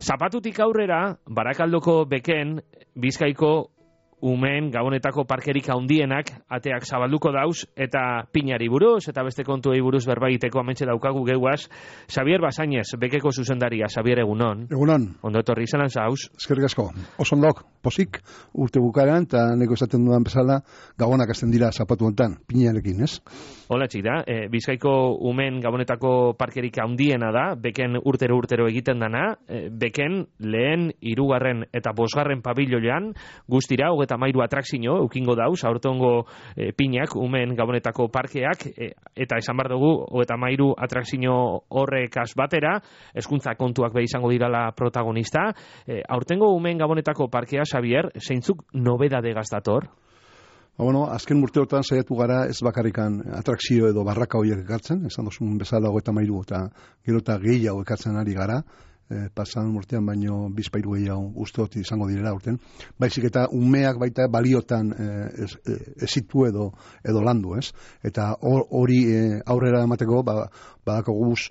Zapatutik aurrera, Barakaldoko Beken, Bizkaiko umeen gabonetako parkerik handienak ateak zabalduko dauz, eta pinari buruz, eta beste kontuei buruz berbaiteko amentxe daukagu geuaz. Xabier Basainez, Bekeko zuzendaria. Xabier, egunon. Egunon. Ondo etorri izan zauz. Eskerrik asko. Oso ondok, posik, urte bukaeran, eta neko esaten dudan bezala, gabonak azten dira zapatu hontan, pinarekin, ez? Hola, txida. Bizkaiko umeen gabonetako parkerik handiena da, Beken urtero egiten dana, Beken lehen, hirugarren eta bosgarren pabiloian, guztira, 33 atrakzio ukingo dauz, aurtongo pinak, umeen gabonetako parkeak, eta esan bar dugu, 33 atrakzio horrekaz batera, hezkuntza kontuak be izango dirala protagonista. Aurtengo umeen gabonetako parkea, Xabier, zeintzuk nobedade gazdator? Bueno, azken urteotan saiatu gara ez bakarrikan atrakzio edo barraka horiek ekartzen, esan dozun bezala 33 eta gero eta gehiago ekartzen ari gara, pasan urtean baino bizpairu gehiago usteot izango direla urten, baizik eta umeak baita baliotan ezitu edo landu, ez? Eta hori aurrera emateko badako guz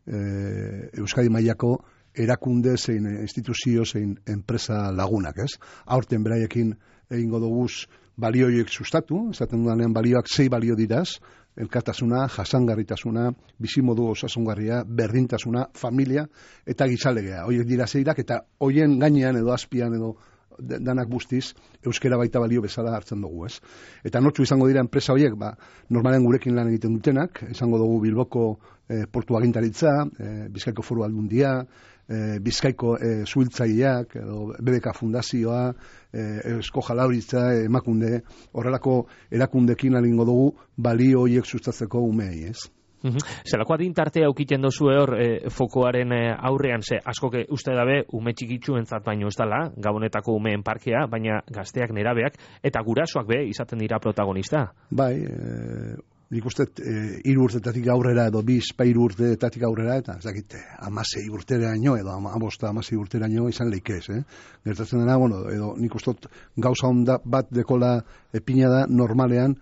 Euskadi mailako erakunde zein instituzio zein enpresa lagunak, ez? Aurten beraiekin egingo duguz balioiek sustatu, esaten dudanean balioak 6 balio diraz, elkartasuna, jasangarritasuna, bizimodu osasungarria, berdintasuna, familia eta gizalegea. Horiek dira 6 eta hoien gainean edo azpian edo danak guztiz euskera baita balio bezala hartzen dugu, ez? Eta nortzu izango dira enpresa horiek, normalen gurekin lan egiten dutenak, izango dugu Bilboko portu agintaritza, Bizkaiko Foru Aldundia, Bizkaiko zuhiltzaileak, BBK Fundazioa, Eusko Jaurlaritza, Emakunde, horrelako erakundekin egingo dugu balio horiek sustatzeko umeei, ez? Zelako adintartea aukiten dozu hor fokoaren aurrean, ze askoke uste dabe ume txikitsu entzat baino ez dala, Gabonetako umeen parkea, baina gazteak, nerabeak, eta gurasoak be izaten dira protagonista. Bai, nik uste 3 urtetatik aurrera edo 2-3 urtetatik aurrera, eta ez dakit 16 urteraino edo 15-16 urteraino izan leikez, Gertatzen dena, edo nik uste gauza onda bat dekola epina da normalean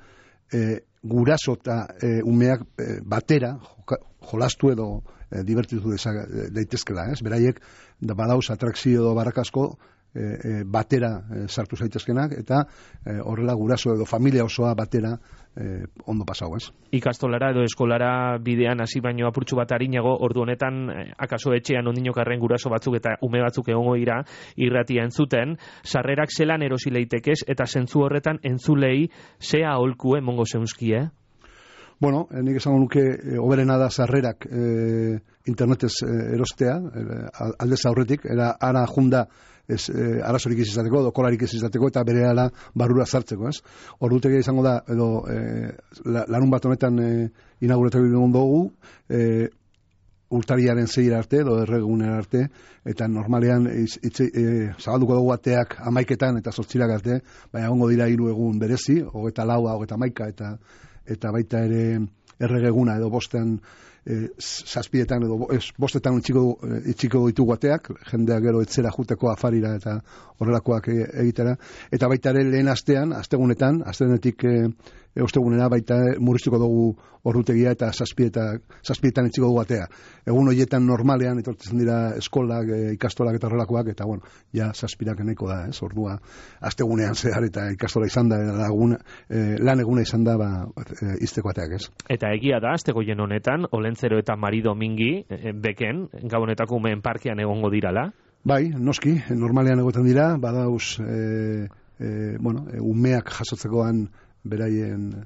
guraso eta umeak batera jolastu edo divertitu daitezkela, ez? Beraiek badauz atrakzio edo barrakasko batera sartu zaitezkenak eta horrela guraso edo familia osoa batera ondo pasau, ez? Ikastolara edo eskolara bidean hasi baino apurtxu bat arinago, ordu honetan akaso etxean ondinokarren guraso batzuk eta ume batzuk egongo dira irratia entzuten, sarrerak zelan erosi leitekez eta zentzu horretan entzulei zea aholku emongo zeunzkie? Bueno, nik esango nuke hoberena da sarrerak internetez erostea, aldez aurretik, ara junda arazorik ez izateko, dokolarik ez izateko, eta berehala barrura sartzeko, ez? Ordutegia izango da, edo larun bat honetan inaugurategi dugu, urtariaren 6 arte, edo erregunera arte, eta normalean zabalduko dugu ateak 11etan eta 8 arte, baina egongo dira 3 egun berezi, 24, 31 eta baita ere erregeguna edo 5etan 7etan edo 5etan itxiko ditugu ateak, jendeak gero etzera juteko afarira eta horrelakoak egitera, eta baita ere lehen astean, astegunetik ostegunera baita murriztuko dugu ordutegia eta 7etan itxiko dugu atea. Egun horietan normalean etortzen dira eskolak, ikastolak eta horrelakoak, eta bueno, ja 7ak nahiko da, ez? Ordua astegunean zehar eta ikastola izan da, lan eguna izan da izteko ateak, ez? Eta egia da, astegoien honetan, Olentzero eta Mari Domingi, Beken, Gabonetako umeen parkean egongo dirala? Bai, noski, normalean egoten dira, badauz, umeak jasotzekoan beraien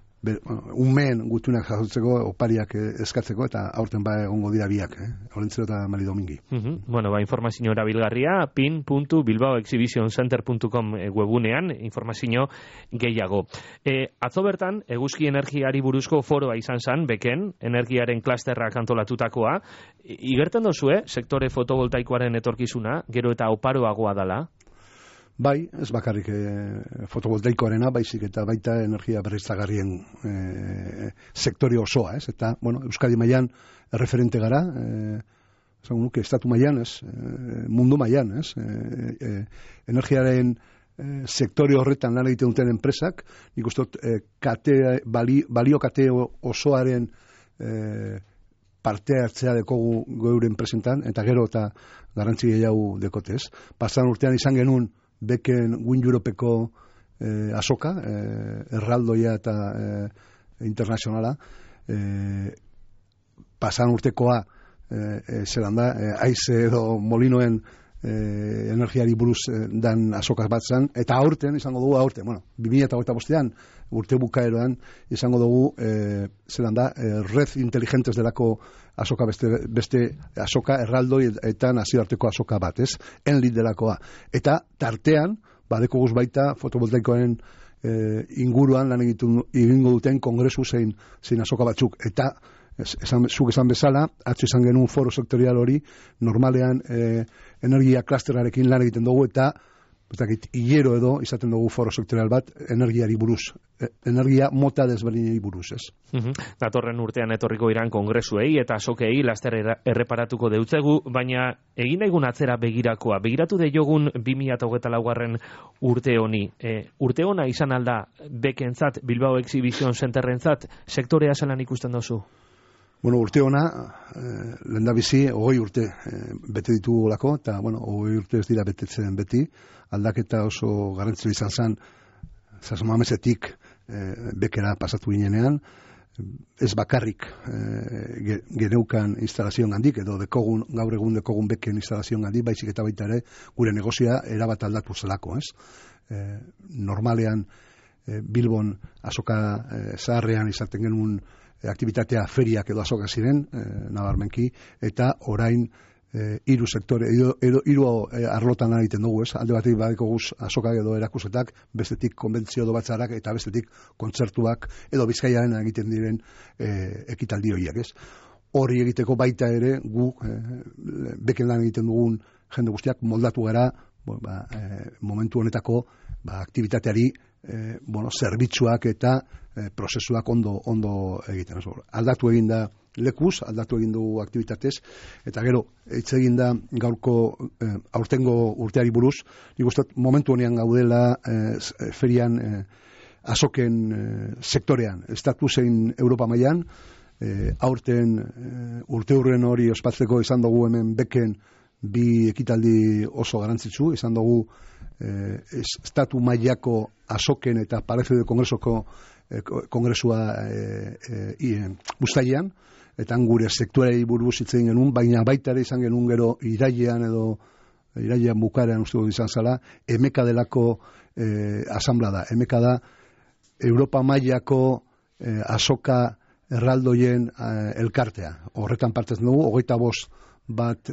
umeen gutunak jasotzeko opariak eskatzeko eta aurten egongo dira biak, Olentzero eta Mari Domingi. Informazio erabilgarria pin.bilbaoexhibitioncenter.com webunean, informazio gehiago. Atzo bertan, eguzki energiari buruzko foroa izan zen, Beken, energiaren klasterrak antolatutakoa. Igerten dozue, sektore fotovoltaikoaren etorkizuna, gero eta oparoagoa dala? Bai, ez bakarrik fotovoltaikoarena, baizik eta baita energia berriztagarrien sektore osoa, ez? Eta, Euskadi mailan referente gara, esango nuke, estatu mailan, ez? Mundu mailan, ez? Energiaren sektore horretan lan egiten duten enpresak, nik uste balio kate osoaren parte hartzea dekogu geuren presentan, eta gero eta garrantzi gehiago dekotez. Pasan urtean izan genuen beken Win Europeko azoka, erraldoia eta internazionala, pasan urtekoa zelan da, aize edo molinoen energiari buruz dan azokaz bat zen, eta aurten izango dugu, 2025an urte bukaeroan izango dugu zelan da, red inteligentes delako azoka beste azoka erraldoi eta nazioarteko azoka bat, ez? Enlit delakoa. Eta tartean, badeko guz baita fotovoltaikoen inguruan lan egingo duten kongresu zein azoka batzuk, eta zuk esan bezala, atzo izan genuen foro sektorial hori, normalean energia klasterarekin lan egiten dugu, eta hilero edo izaten dugu foro sektorial bat energiari buruz, energia mota desberdinei buruz, ez? Datorren urtean etorriko iran kongresuei eta azokei laster erreparatuko deutzegu, baina egin daigun atzera begirakoa, begiratu deiogun 2024 urte honi. Urte hona izan alda bekentzat, Bilbao Exhibition Centerrentzat, sektorea zelan ikusten dozu? Bueno, urte hona, lehendabizi, 20 urte bete ditugulako, eta, 20 urte ez dira betetzen beti, aldaketa oso garrantzitsua izan zen, Zasmamezetik bekera pasatu ginenean, ez bakarrik geneukan instalazioan handik, edo gaur egun dekogun beken instalazioan handik, baizik eta baita ere, gure negozia erabat aldatu zelako, ez? Normalean, Bilbon azoka zaharrean izaten genuen aktivitatea feriak edo azoka ziren, nabarmenki, eta orain hiru sektore, hiru arlotan egiten dugu, ez? Alde batetik badeko guz azokak edo erakusetak, bestetik konbentzio edo batzarak, eta bestetik kontzertuak edo Bizkaiaren egiten diren ekitaldi horiek, ez? Hori egiteko baita ere, gu beken lan egiten dugun jende guztiak moldatu gara, momentu honetako aktivitateari zerbitzuak eta prozesuak ondo egiten. Aldatu egin da lekuz, aldatu egin dugu aktivitatez, eta gero, hitz egin da gaurko aurtengo urteari buruz, nik uste momentu honean gaudela ferian azoken sektorean, estatu zein Europa mailan, aurten urteurren hori ospatzeko izan dugu hemen beken bi ekitaldi oso garantzitsu, izan dugu estatu mailako azoken eta Palacio de kongresua bustailean, eta gure sektorei buruz hitz egin genuen, baina baita ere izan genuen gero irailean bukarean uste dut izan zala, emeka delako asamblada. Emeka da Europa mailako azoka erraldoien elkartea. Horretan partez dugu, 25 bat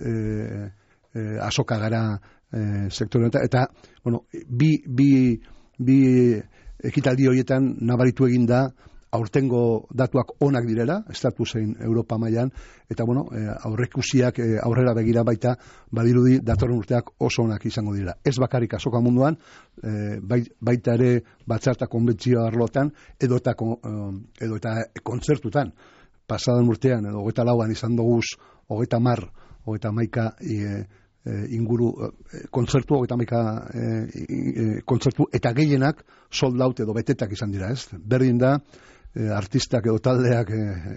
azoka gara sektore eta bi ekitaldi horietan nabaritu egin da aurtengo datuak onak direla, estatu zein Europa mailan, eta aurrekusiak aurrera begira baita badirudi datorren urteak oso onak izango dira. Ez bakarrik azoka munduan, baita ere batzarta konbentzio arlotan edo eta kontzertutan. Pasadan urtean edo 24an izan doguz 30, 31 inguru kontzertu, 31 kontzertu, eta gehienak sold out edo betetak izan dira, ez? Berdin da, artistak edo taldeak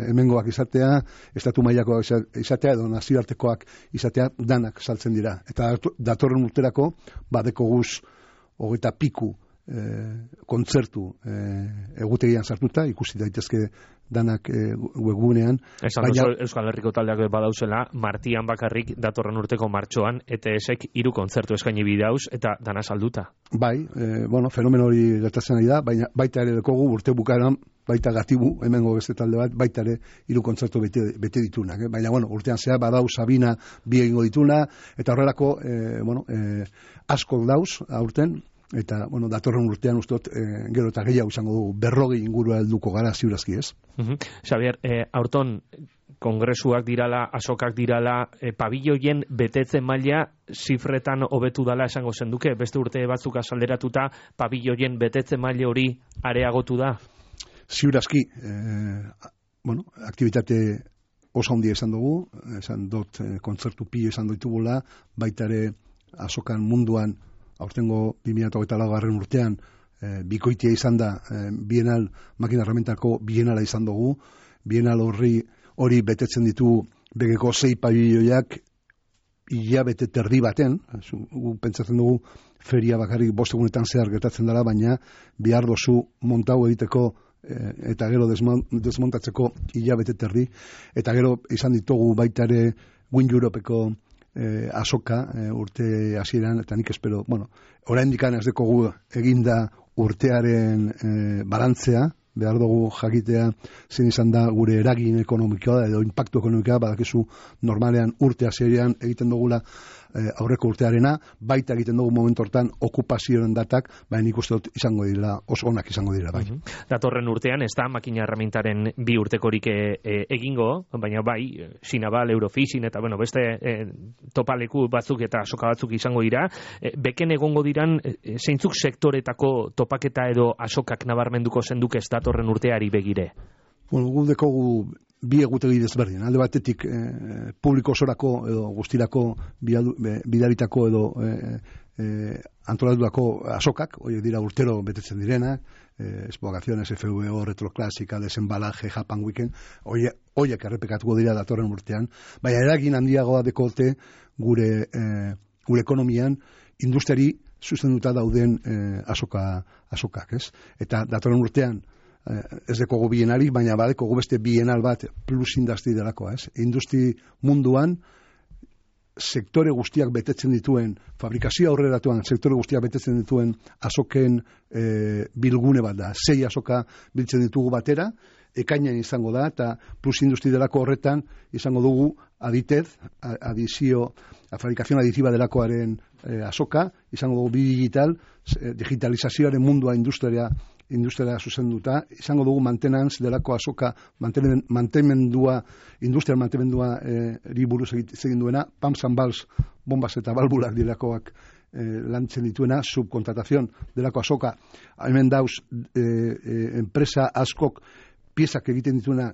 hemengoak izatea, estatu mailako izatea edo nazioartekoak izatea, danak saltzen dira. Eta datorren urterako, badeko guz 20 piku kontzertu egutegian sartuta, ikusi daitezke danak webgunean. Euskal Herriko taldeak badauzela, martian bakarrik datorren urteko martxoan, ETS-ek 3 kontzertu eskaini bidauz, eta dana salduta. Bai, fenomeno hori gertatzen ari da, baina baita ere dekogu urte bukaeran, baita gatibu, hemengo beste talde bat, baita ere 3 kontzertu bete ditunak. Baina, urtean zea, badau Sabina bi egingo dituna, eta horrelako, asko dauz, aurten, eta, datorren urtean ustot, gero eta gehiago izango dugu, 40 ingurua helduko gara ziurazki, ez? Xabier, aurton, kongresuak dirala, azokak dirala, pabilloien betetzen maila zifretan hobetu dala esango zenduke, beste urte batzuk azalderatuta, pabilloien betetzen maila hori areagotu da? Ziurazki, aktivitate oso handia esan dugu, esan dut kontzertu pilo esan ditugula, baita ere azokan munduan, aurtengo 2024 urtean, bikoitia izan da, Bienal, makina herramientako Bienala izan dugu, Bienal hori betetzen ditu begeko 6 pabiloiak hilabete terdi baten, pentsatzen dugu feria bakarrik 5 egunetan zehar gertatzen dela, baina bihar dozu montau egiteko eta gero desmontatzeko hilabete terdi, eta gero izan ditugu baita ere Win Europeko azoka urte hasieran, eta nik espero, oraindik ez dekogu eginda urtearen balantzea, behar dugu jakitea zein izan da gure eragin ekonomikoa edo impactu ekonomikoa, badakizu normalean urte hasieran egiten dugula aurreko urtearena, baita egiten dugu momentu hortan okupazioaren datak, baina nik uste dut izango dira, oso onak izango dira, bai. Datorren urtean, ez da makina erramintaren 2 urtekorik egingo, baina bai, Sinabal, Eurofishing, eta beste topaleku batzuk eta asoka batzuk izango dira. Beken egongo diran, zeintzuk sektoretako topaketa edo asokak nabarmenduko zenduk ez datorren urteari begire? Gu dekogu 2 egutegi desberdin. Alde batetik publiko osorako edo guztirako bidaritako edo antolatutako asokak, horiek dira urtero betetzen direnak, Expogaciones, FVO, Retroclásica, Desembalaje, Japan Weekend, horiek errepekatuko dira datorren urtean, baina eragin handiagoa dekote gure ekonomian industriari zuzenduta dauden asokak, ez? Eta datorren urtean ez dekogu bienali, baina badekogu beste bienal bat plus industri delako, ez? Industri munduan sektore guztiak betetzen dituen, fabrikazio aurreratuan sektore guztiak betetzen dituen asoken bilgune bat da. 6 asoka biltzen ditugu batera, ekainan izango da, eta plus industri delako horretan izango dugu fabrikazion adiziba delakoaren asoka, izango dugu digitalizazioaren mundua industriara zuzenduta, izango dugu mantenantz delako asoka, industrial mantenmendua buruz egin duena, pumps and valves, bombas eta balbulak delakoak lantzen dituena, subkontratazion delako asoka, hemen dauz enpresa askok piezak egiten dituena,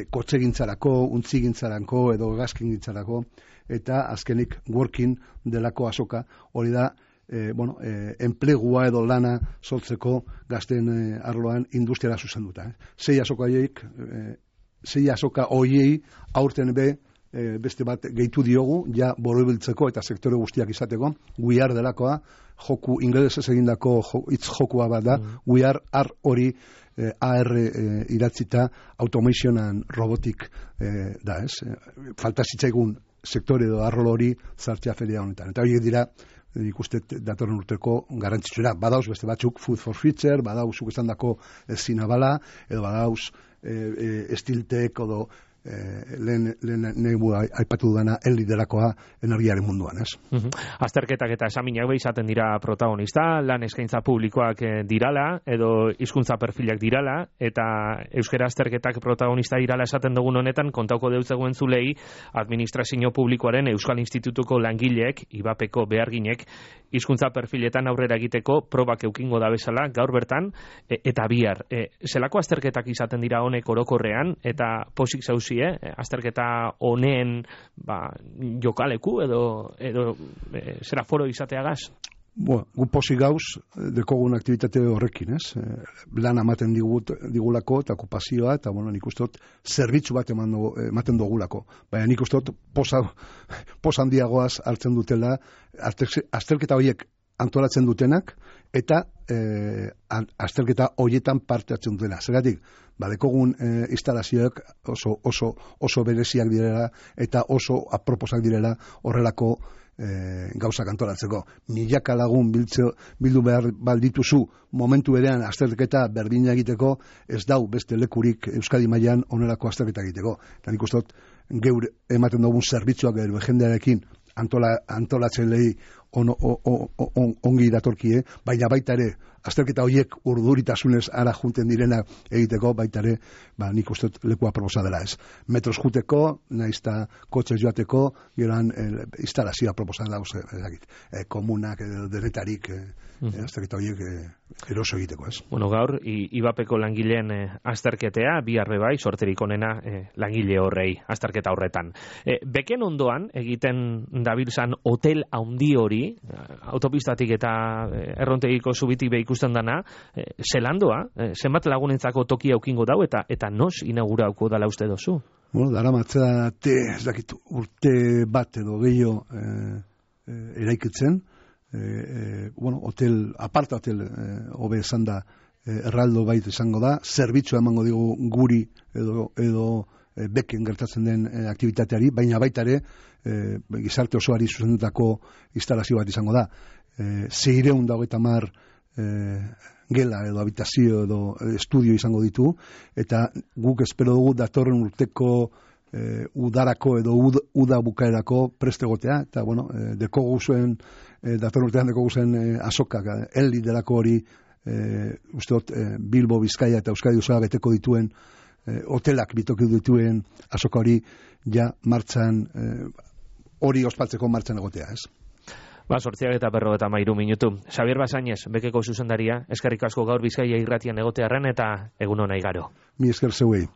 kotxegintzarako, untzigintzarako edo gazkingintzarako, eta azkenik working delako asoka, hori da enplegua edo lana sortzeko gazten arloan industriara zuzenduta. 6 asoka hoiei aurten beste bat gehitu diogu, ja borobiltzeko eta sektore guztiak izateko, We Are delakoa, joku ingelesez egindako hitz jokua bat da, We Are hori AR iratzita automation and robotic da, ez? Falta zitzaigun sektore edo arlo hori zartzea feria honetan. Eta horiek dira ikuste datorren urteko garrantzitsura. Badauz beste batzuk Food for Future, badauz esan dako Sinabala, edo badauz Stiltek, edo lehen aipatu dudana Eli delakoa energiaren munduan, ez? Azterketak eta esaminak izaten dira protagonista, lan eskaintza publikoak dirala, edo hizkuntza perfilak dirala, eta euskera azterketak protagonista dirala esaten dugun honetan, kontauko deutzegoen zulei, administrazio publikoaren Euskal Institutuko langileek, ibapeko beharginek, hizkuntza perfiletan aurrera egiteko probak eukingo da bezala, gaur bertan, eta bihar. Zelako azterketak izaten dira honek orokorrean, eta posik zauzi, azterketa honeen jokaleku edo zera foro izateagaz? Gu posik gauz dekogun aktivitate horrekin, ez? Lan ematen digulako eta okupazioa, eta nik ustot zerbitzu bat ematen dugulako. Baina nik ustot pos handiagoaz hartzen dutela azterketa horiek antolatzen dutenak eta azterketa horietan parte hartzen dutela. Zergatik, badekogun instalazioak oso bereziak direla eta oso aproposak direla horrelako gauzak antolatzeko. Milaka lagun bildu behar baldituzu momentu berean azterketa berdina egiteko, ez dau beste lekurik Euskadi mailan onelako azterketa egiteko. Eta nik uste dut geur ematen dugun zerbitzuak gero jendearekin antolatzen lehi ongi datorkie, baina baita ere azterketa horiek urduritasunez ara junten direna egiteko, baita ere nik uste lekua proposa dela, ez. Metros juteko, naizta kotxez joateko, geroan instalazioa proposa dauz, komunak, denetarik, azterketa horiek eroso egiteko, ez. Gaur, ibapeko langileen azterketea, biharre bai, sorterik onena langile horrei, azterketa horretan. Beken ondoan, egiten dabilzan hotel handi hori, autopistatik eta errontegiko zubitik behikusten ikusten dana, zelandoa, zenbat lagunentzako tokia aukingo dau, eta nos inaugurauko dala uste dozu? Bueno, dara matzate, ez dakit, urte bat edo gehiago eraikitzen, bueno, hotel, aparta hotel, hobe esan da, erraldo bait izango da, zerbitzua emango digu guri edo beken gertatzen den aktivitateari, baina baita ere, gizarte osoari zuzendutako instalazio bat izango da. 650 gela edo habitazio edo estudio izango ditu, eta guk espero dugu datorren urteko udarako edo uda bukaerako prestegotea, eta bueno, datorren urtean dekogu azokak, elli delako hori, usteot Bilbo, Bizkaia eta Euskadi osoa beteko dituen hotelak bitoki dituen azoka hori ja martxan, hori ospatzeko martxan egotea, ez? 8:53 minutu. Xabier Basainez, Bekeko zuzendaria, eskerrik asko gaur Bizkaia irratian egotearren eta egun ona igaro. Mi esker zeuei.